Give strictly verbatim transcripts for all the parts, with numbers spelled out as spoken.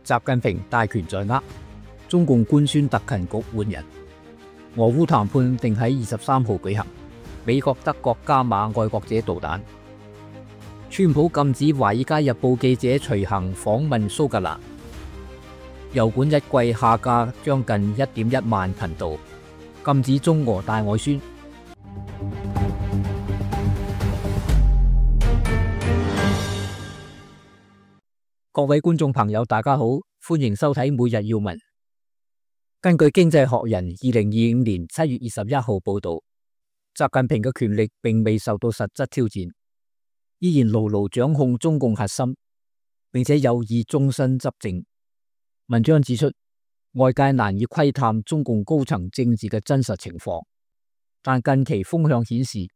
習近平大權在握，中共官宣特勤局換人。俄烏談判定喺二十三號舉行。美國、德國加碼愛國者導彈。川普禁止《華爾街日報》記者隨行訪問蘇格蘭。油管一季下架將近一點一萬頻道。禁止中俄大外宣。各位觀眾朋友，大家好，歡迎收睇每日要聞。根據《經濟學人》二零二五年七月二十一號報道，習近平嘅權力並未受到實質挑戰，依然牢牢掌控中共核心，並且有意終身執政。文章指出，外界難以窺探中共高層政治嘅真實情況，但近期風向顯示，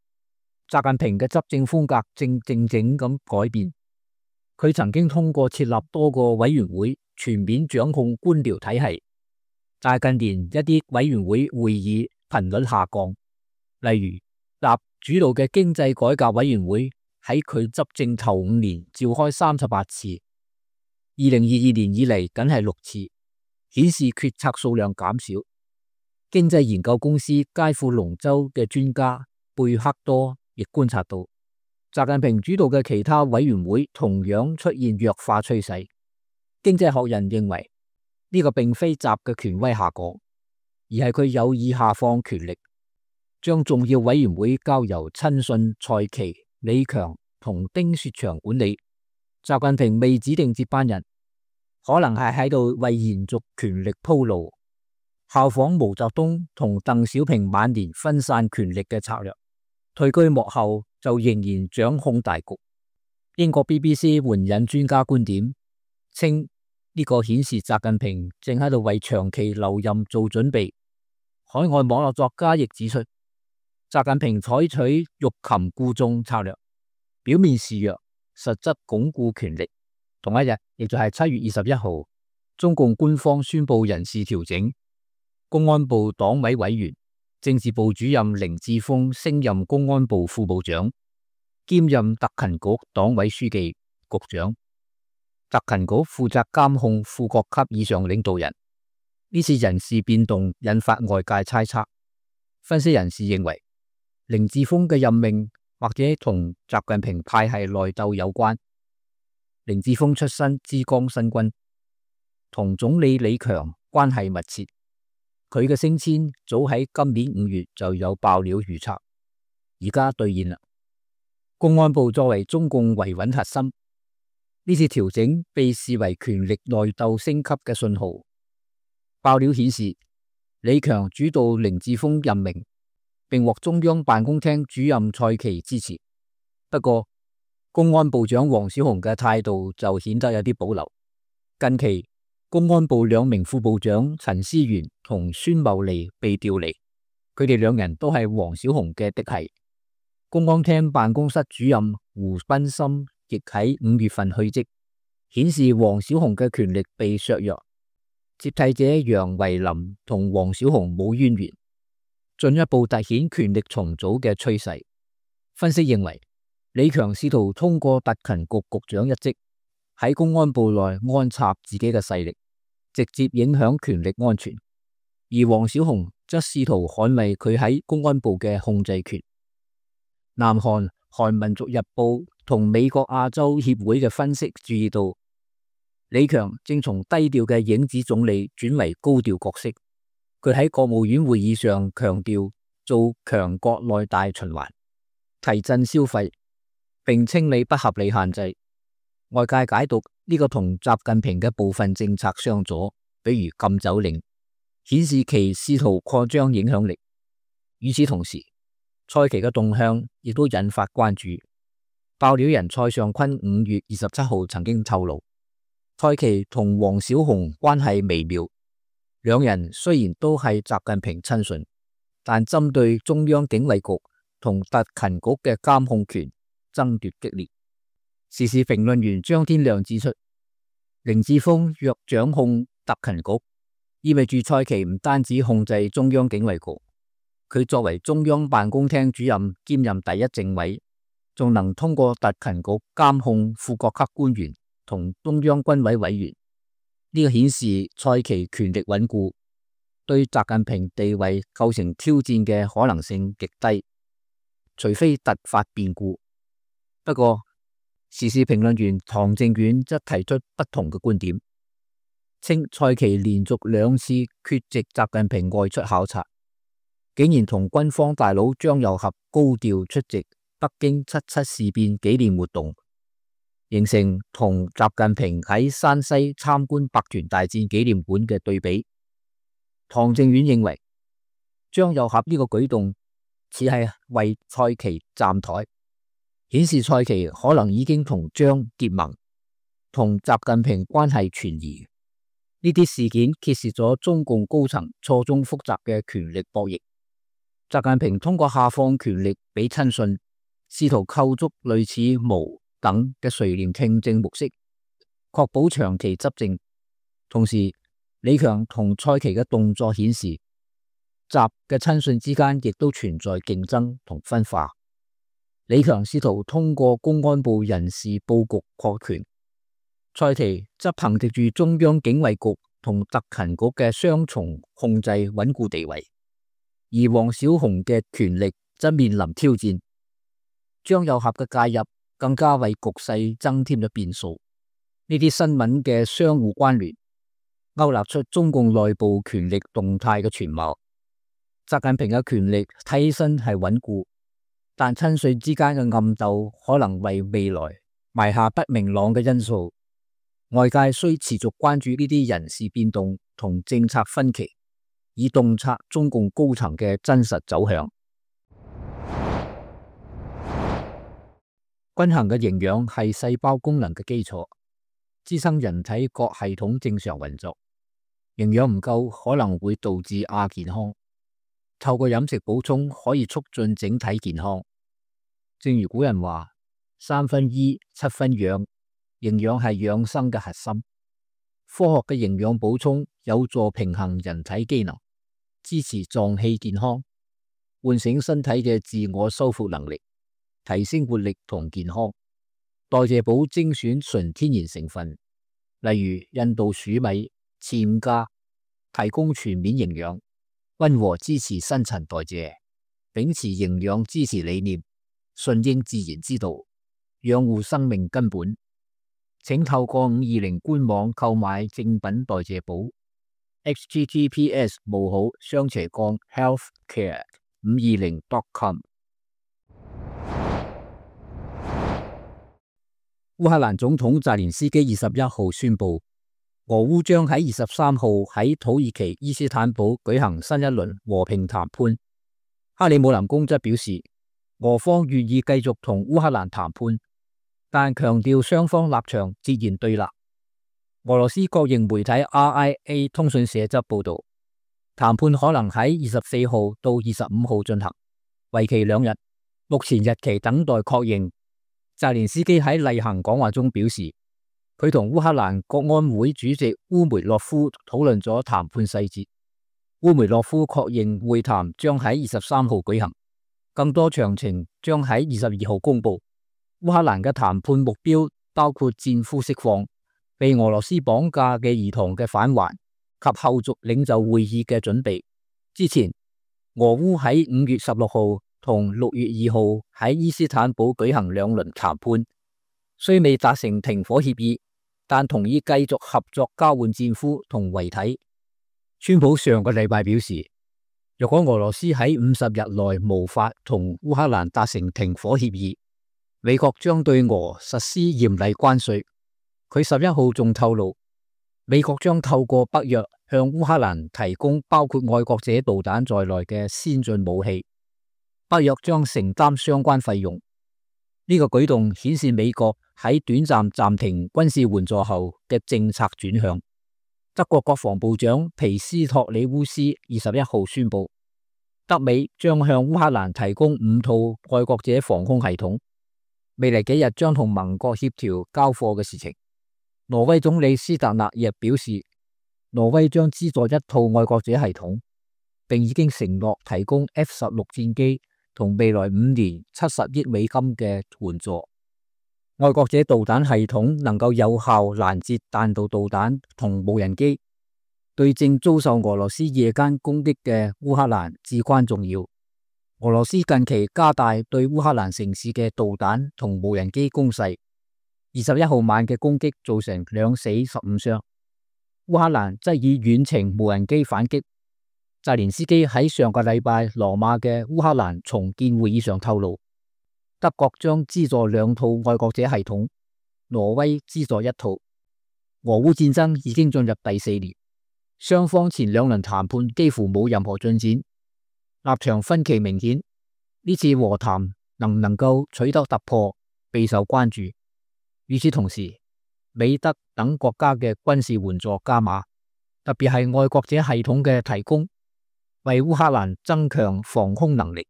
習近平嘅執政風格正靜靜咁改變。佢曾經通過設立多個委員會全面掌控官僚體系，但係近年一啲委員會會議頻率下降，例如習主導嘅經濟改革委員會喺佢執政頭五年召開三十八次，二零二二年以嚟僅係六次，顯示決策數量減少。經濟研究公司佳富龍州嘅專家貝克多亦觀察到，習近平主導嘅其他委員會同樣出現弱化趨勢。經濟學人認為呢個並非習嘅權威下降，而係佢有意下放權力，將重要委員會交由親信蔡奇、李強同丁薛祥管理。習近平未指定接班人，可能係喺度為延續權力鋪路，效仿毛澤東同鄧小平晚年分散權力嘅策略，退居幕後就仍然掌控大局。英國 B B C 援引專家觀點，稱呢個顯示習近平正喺度為長期留任做準備。海外網絡作家亦指出，習近平採取欲擒故縱策略，表面示弱，實質鞏固權力。同一日，亦就係七月二十一號，中共官方宣布人事調整，公安部黨委委員、政治部主任凌志峰升任公安部副部長，兼任特勤局黨委書記、局長。特勤局負責監控副國級以上領導人。呢次人事變動引發外界猜測，分析人士認為，凌志峰嘅任命或者同習近平派系內鬥有關。凌志峰出身之江新軍，同總理李強關係密切。佢嘅升遷早喺今年五月就有爆料預測，而家兌現啦。公安部作為中共維穩核心，呢次調整被視為權力內鬥升級嘅信號。爆料顯示，李強主導凌志峰任命，並獲中央辦公廳主任蔡奇支持。不過，公安部長王小洪嘅態度就顯得有啲保留。近期，公安部兩名副部長陳思源同孫茂利被調離，佢哋兩人都係王小洪嘅嫡系。公安廳辦公室主任胡斌森亦喺五月份去職，顯示王小洪嘅權力被削弱。接替者楊維林同王小洪冇淵源，進一步凸顯權力重組嘅趨勢。分析認為，李強試圖通過特勤局局長一職喺公安部內安插自己嘅勢力，直接影響權力安全；而王小洪則試圖捍衛佢喺公安部嘅控制權。南韓《韓民族日報》同美國亞洲協會嘅分析注意到，李強正從低調嘅影子總理轉為高調角色。佢喺國務院會議上強調做強國內大循環，提振消費，並清理不合理限制。外界解讀呢個同習近平嘅部分政策相左，比如禁酒令，顯示其試圖擴張影響力。與此同時，蔡奇嘅動向亦都引發關注。爆料人蔡尚坤五月二十七號曾經透露，蔡奇同王小洪關係微妙，兩人雖然都係習近平親信，但針對中央警衛局同特勤局嘅監控權爭奪激烈。時事評論員張天亮指出，凌志峰若掌控特勤局，意味住蔡奇唔單止控制中央警衛局，佢作為中央辦公廳主任兼任第一政委，仲能通過特勤局監控副國級官員同中央軍委委員。呢個顯示蔡奇權力穩固，對習近平地位構成挑戰嘅可能性極低，除非突發變故。不過，時事評論員唐正遠則提出不同嘅觀點，稱蔡奇連續兩次缺席習近平外出考察，竟然同軍方大佬張又俠高調出席北京七七事變紀念活動，形成同習近平喺山西參觀百團大戰紀念館嘅對比。唐正遠認為，張又俠呢個舉動似係為蔡奇站台，顯示蔡奇可能已經同張結盟，同習近平關係存疑。呢啲事件揭示咗中共高層錯綜複雜嘅權力博弈。習近平通過下放權力俾親信，試圖構築類似毛等嘅垂簾聽政模式，確保長期執政。同時，李強同蔡奇嘅動作顯示，習嘅親信之間亦都存在競爭同分化。李強試圖通過公安部人事佈局擴權，蔡奇則憑藉住中央警衛局同特勤局嘅雙重控制穩固地位。而王小洪嘅權力則面臨挑戰，張又俠嘅介入更加為局勢增添咗變數。呢啲新聞嘅相互關聯，勾勒出中共內部權力動態嘅全貌。習近平嘅權力睇起身係穩固，但親信之間嘅暗鬥可能為未來埋下不明朗嘅因素。外界需持續關注呢啲人事變動同政策分歧，以洞察中共高層嘅真實走向。均衡嘅營養係細胞功能嘅基礎，支撐人體各系統正常運作。營養唔夠可能會導致亞健康，透過飲食補充可以促進整體健康。正如古人話：三分醫，七分養，營養係養生嘅核心。科學嘅營養補充有助平衡人體機能，支持臟器健康，喚醒身體嘅自我修復能力，提升活力同健康。代謝寶精選純天然成分，例如印度黍米、暹加，提供全面營養，溫和支持新陳代謝，秉持營養支持理念，順應自然之道，養護生命根本。請透過五二零官網購買正品代謝寶 ：h t t p s 冒號雙斜槓 healthcare 五二零 dot com。烏克蘭總統澤連斯基二十一號宣布，俄烏將喺二十三號喺土耳其伊斯坦堡舉行新一輪和平談判。克里姆林宮則表示，俄方願意繼續同烏克蘭談判，但強調雙方立場截然對立。俄羅斯國營媒體 R I A 通訊社則報道，談判可能喺二十四號到二十五號進行，為期兩日，目前日期等待確認。澤連斯基喺例行講話中表示，佢同烏克蘭國安會主席烏梅洛夫討論咗談判細節。烏梅洛夫確認會談將喺二十三號舉行，更多詳情將喺二十二號公布。烏克蘭嘅談判目標包括戰俘釋放、被俄羅斯綁架嘅兒童嘅返還及後續領袖會議嘅準備。之前，俄烏喺五月十六號同六月二號喺伊斯坦堡舉行兩輪談判，雖未達成停火協議，但同意繼續合作交換戰俘同遺體。川普上個禮拜表示，若果俄羅斯喺五十日內無法同烏克蘭達成停火協議，美國將對俄實施嚴厲關稅。佢十一號仲透露，美國將透過北約向烏克蘭提供包括愛國者導彈在內嘅先進武器。北約將承擔相關費用。呢個舉動顯示美國喺短暫暫停軍事援助後嘅政策轉向。德國國防部長皮斯托里烏斯二十一號宣布，德美將向烏克蘭提供五套愛國者防空系統，未來幾日將同盟國協調交貨嘅事情。挪威總理斯特納亦表示，挪威將資助一套愛國者系統，並已經承諾提供 F 十六戰機同未來五年七十億美金嘅援助。愛國者導彈系統能夠有效攔截彈道導彈同無人機，對正遭受俄羅斯夜間攻擊嘅烏克蘭至關重要。俄羅斯近期加大對烏克蘭城市嘅導彈同無人機攻勢，二十一號晚嘅攻擊造成兩死十五傷。烏克蘭則以遠程無人機反擊。澤連斯基喺上個禮拜羅馬嘅烏克蘭重建會議上透露，德國將資助兩套愛國者系統，挪威資助一套。俄烏戰爭已經進入第四年，雙方前兩輪談判幾乎冇任何進展，立場分歧明顯。呢次和談能唔能夠取得突破，備受關注。與此同時，美德等國家嘅軍事援助加碼，特別係愛國者系統嘅提供，為烏克蘭增強防空能力，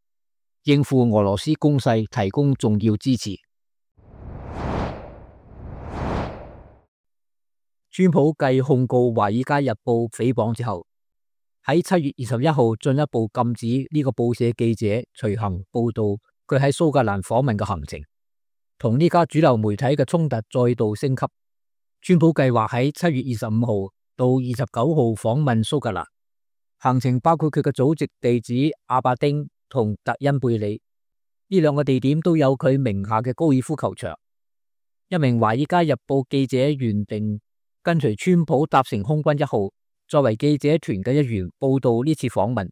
應付俄羅斯攻勢提供重要支持。川普繼控告《華爾街日報》誹謗之後，喺七月二十一號進一步禁止呢個報社記者隨行報道佢喺蘇格蘭訪問嘅行程，同呢家主流媒體嘅衝突再度升級。川普計劃喺七月二十五號到二十九號訪問蘇格蘭，行程包括佢嘅祖籍地址阿伯丁同特恩貝里，呢兩個地點都有佢名下嘅高爾夫球場。一名《華爾街日報》記者原定跟隨川普搭乘空軍一號，作為記者團嘅一員報道呢次訪問。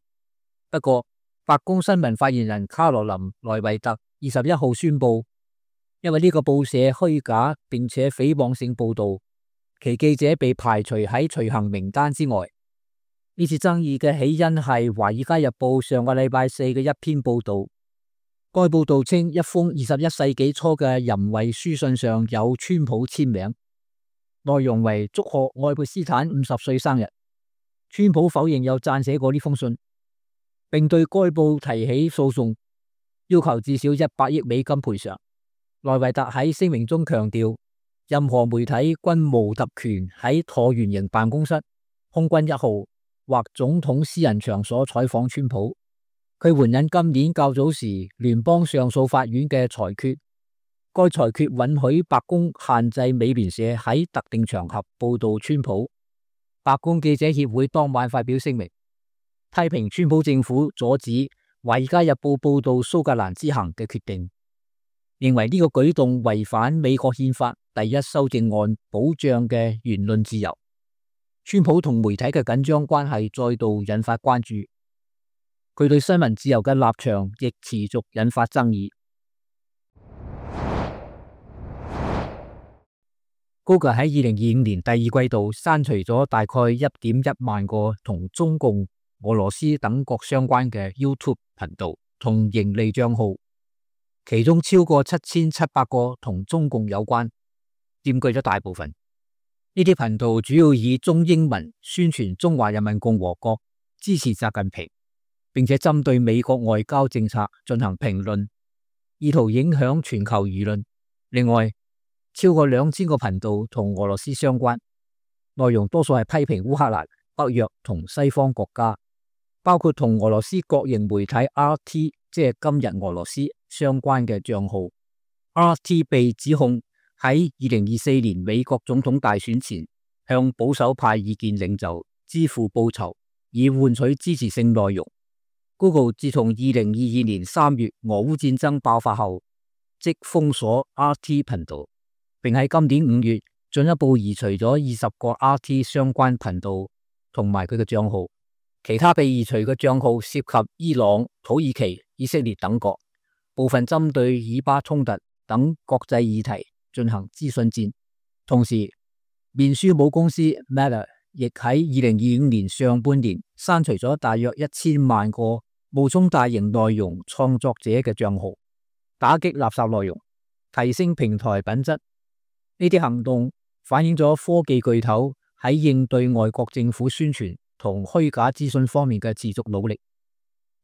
不過，白宮新聞發言人卡羅琳·萊維特二十一號宣布，因為呢個報社虛假並且誹謗性報道，其記者被排除喺隨行名單之外。呢次爭議嘅起因係《華爾街日報》上個禮拜四嘅一篇報道。該報道稱，一封二十一世紀初嘅淫穢書信上有川普簽名，內容為祝賀愛潑斯坦五十歲生日。川普否認有撰寫過呢封信，並對該報提起訴訟，要求至少一百億美金賠償。萊維特喺聲明中強調，任何媒體均無特權喺橢圓形辦公室、空軍一號或總統私人場所採訪川普。佢援引今年較早時聯邦上訴法院嘅裁決，該裁決允許白宮限制美聯社喺特定場合報道川普。白宮記者協會當晚發表聲明，批評川普政府阻止《華爾街日報》報道蘇格蘭之行嘅決定，認為呢個舉動違反美國憲法第一修正案保障嘅言論自由。川普同媒體嘅緊張關係再度引發關注。佢對新聞自由嘅立場亦持續引發爭議。Google 喺二零二五年第二季度刪除咗大概一點一萬個同中共、俄羅斯等國相關嘅 YouTube 頻道同盈利賬號，其中超過七千七百個同中共有關，佔據咗大部分。呢啲頻道主要以中英文宣傳中華人民共和國，支持習近平，並且針對美國外交政策進行評論，意圖影響全球輿論。另外，超過兩千個頻道同俄羅斯相關，內容多數係批評烏克蘭、北約同西方國家，包括同俄羅斯國營媒體 R T， 即係今日俄羅斯相關嘅賬號。R T 被指控喺二零二四年美國總統大選前，向保守派意見領袖支付報酬，以換取支持性內容。Google 自從二零二二年三月俄烏戰爭爆發後，即封鎖 R T 頻道，並喺今年五月進一步移除咗二十個 R T 相關頻道同埋佢嘅賬號。其他被移除嘅賬號涉及伊朗、土耳其、以色列等國，部分針對以巴衝突等國際議題進行資訊戰。同時，面書母公司 Meta 亦喺二零二五年上半年刪除咗大約一千萬個冒充大型內容創作者嘅賬號，打擊垃圾內容，提升平台品質。呢啲行動反映咗科技巨頭喺應對外國政府宣傳同虛假資訊方面嘅持續努力，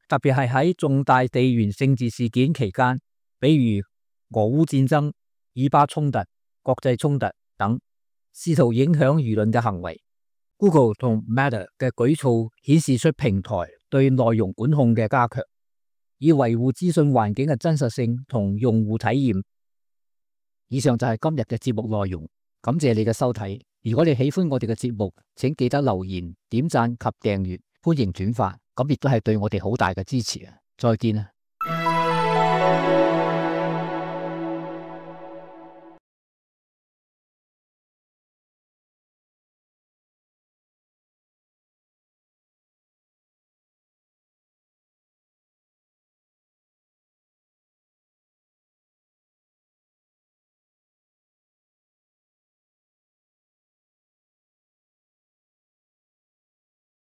特別係喺重大地緣政治事件期間，比如俄烏戰爭、以巴衝突、國際衝突等，試圖影響輿論嘅行為。Google 同 Meta 嘅舉措顯示出平台對內容管控嘅加強，以維護資訊環境嘅真實性同用戶體驗。以上就係今日嘅節目內容，感謝你嘅收睇。如果你喜歡我哋嘅節目，請記得留言、點讚及訂閱，歡迎轉發，咁亦都係對我哋好大嘅支持啊！再見啊！